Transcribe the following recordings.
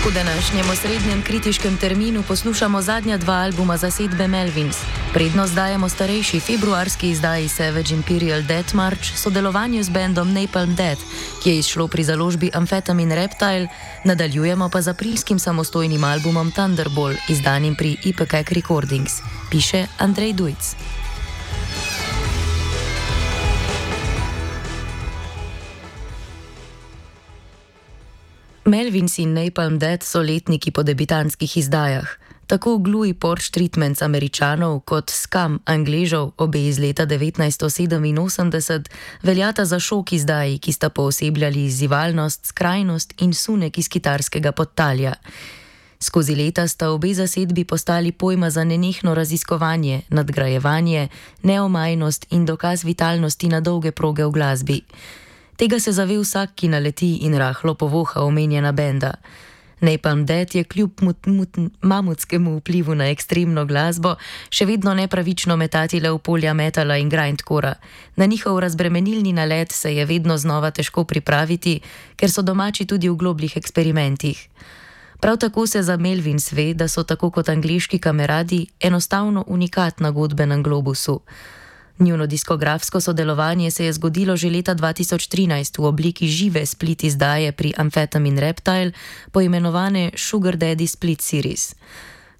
V današnjem osrednjem kritiškem terminu poslušamo zadnja dva albuma zasedbe Melvins. Prednost dajemo starejši februarski izdaji Savage Imperial Death March, sodelovanju z bendom Napalm Death, ki je izšlo pri založbi Amphetamine Reptile, nadaljujemo pa z aprilskim samostojnim albumom Thunderball, izdanim pri Ipecac Recordings, piše Andrej Dujc. Melvins in Napalm Death so letniki po debitantskih izdajah. Tako Glue Porch Treatments Američanov kot Scum Angležov, obe iz leta 1987, veljata za šok izdaji, ki sta poosebljali izzivalnost, skrajnost in sunek iz kitarskega podtalja. Skozi leta sta obe zasedbi postali pojma za nenehno raziskovanje, nadgrajevanje, neomajnost in dokaz vitalnosti na dolge proge v glasbi. Tega se zave vsak, ki naleti in rahlo povoha omenjena benda. Napalm Death je kljub mamutskemu vplivu na ekstremno glasbo še vedno nepravično metatile v polja metala in grindcora. Na njihov razbremenilni nalet se je vedno znova težko pripraviti, ker so domači tudi v globljih eksperimentih. Prav tako se za Melvins ve, da so tako kot angleški kameradi enostavno unikat na godbenem globusu. Njuno diskografsko sodelovanje se je zgodilo že leta 2013 v obliki žive split izdaje pri Amphetamine Reptile, poimenovane Sugar Daddy Split Series.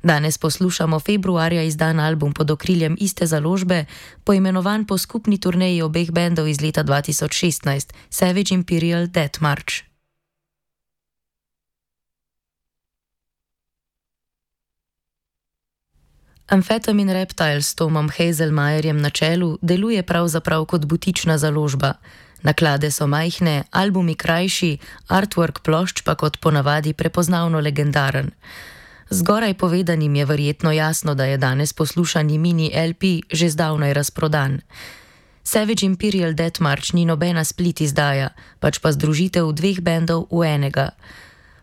Danes poslušamo februarja izdan album pod okriljem iste založbe, poimenovan po skupni turneji obeh bendov iz leta 2016, Savage Imperial Death March. Amphetamine Reptile s Tomom Hazelmajerjem na čelu deluje pravzaprav kot butična založba. Naklade so majhne, albumi krajši, artwork plošč pa kot ponavadi prepoznavno legendaren. Zgoraj povedanim je verjetno jasno, da je danes poslušani mini LP že zdavnaj razprodan. Savage Imperial Death March ni nobena split izdaja, pač pa združitev dveh bendov v enega.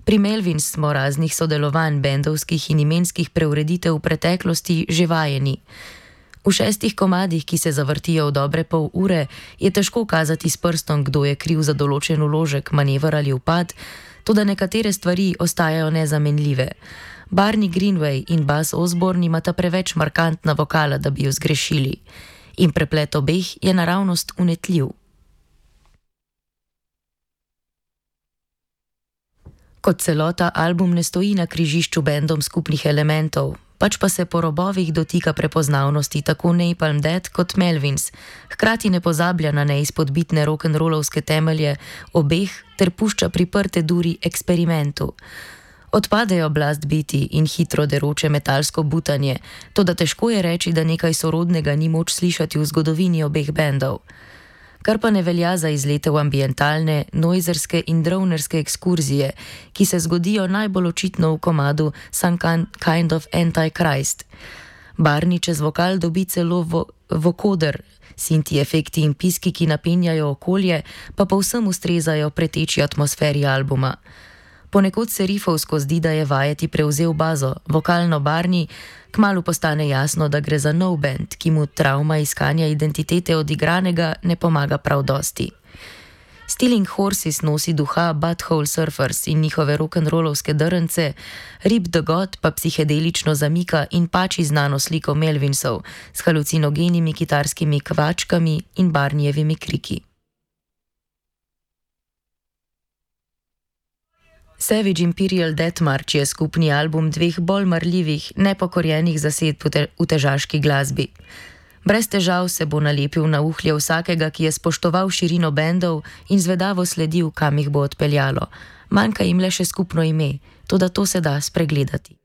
Pri Melvins smo raznih sodelovanj, bendovskih in imenskih preureditev v preteklosti že vajeni. V 6 komadih, ki se zavrtijo v dobre pol ure, je težko kazati s prstom, kdo je kriv za določen vložek, manever ali upad, toda nekatere stvari ostajajo nezamenljive. Barney Greenway in Buzz Osborne imata preveč markantna vokala, da bi jo zgrešili. In preplet obeh je naravnost unetljiv. Kot celota album ne stoji na križišču bendom skupnih elementov, pač pa se po robovih dotika prepoznavnosti tako Napalm Death kot Melvins, hkrati ne pozablja na neizpodbitne rock'n'rollovske temelje obeh ter pušča priprte duri eksperimentu. Odpadejo blast biti in hitro deroče metalsko butanje, toda težko je reči, da nekaj sorodnega ni moč slišati v zgodovini obeh bendov. Kar pa ne velja za izlete v ambientalne, noizerske in dronerske ekskurzije, ki se zgodijo najbolj očitno v komadu Some Kind of Antichrist. Barney čez vokal dobi celo vokoder, sinti efekti in piski, ki napenjajo okolje, pa povsem ustrezajo preteči atmosferi albuma. Ponekod se rifovsko zdi, da je vajeti prevzel bazo, vokalno Barney, kmalu postane jasno, da gre za nov band, ki mu travma iskanja identitete odigranega ne pomaga prav dosti. Stealing Horses nosi duha Butthole Surfers in njihove rock'n'rollovske drnce, Rip the God pa psihedelično zamika in pači znano sliko Melvinsov s halucinogenimi kitarskimi kvačkami in Barneyjevimi kriki. Savage Imperial Death March je skupni album dveh bolj marljivih, nepokorjenih zasedb v težaški glasbi. Brez težav se bo nalepil na uhlje vsakega, ki je spoštoval širino bendov in zvedavo sledil, kam jih bo odpeljalo. Manjka jim le še skupno ime, toda to se da spregledati.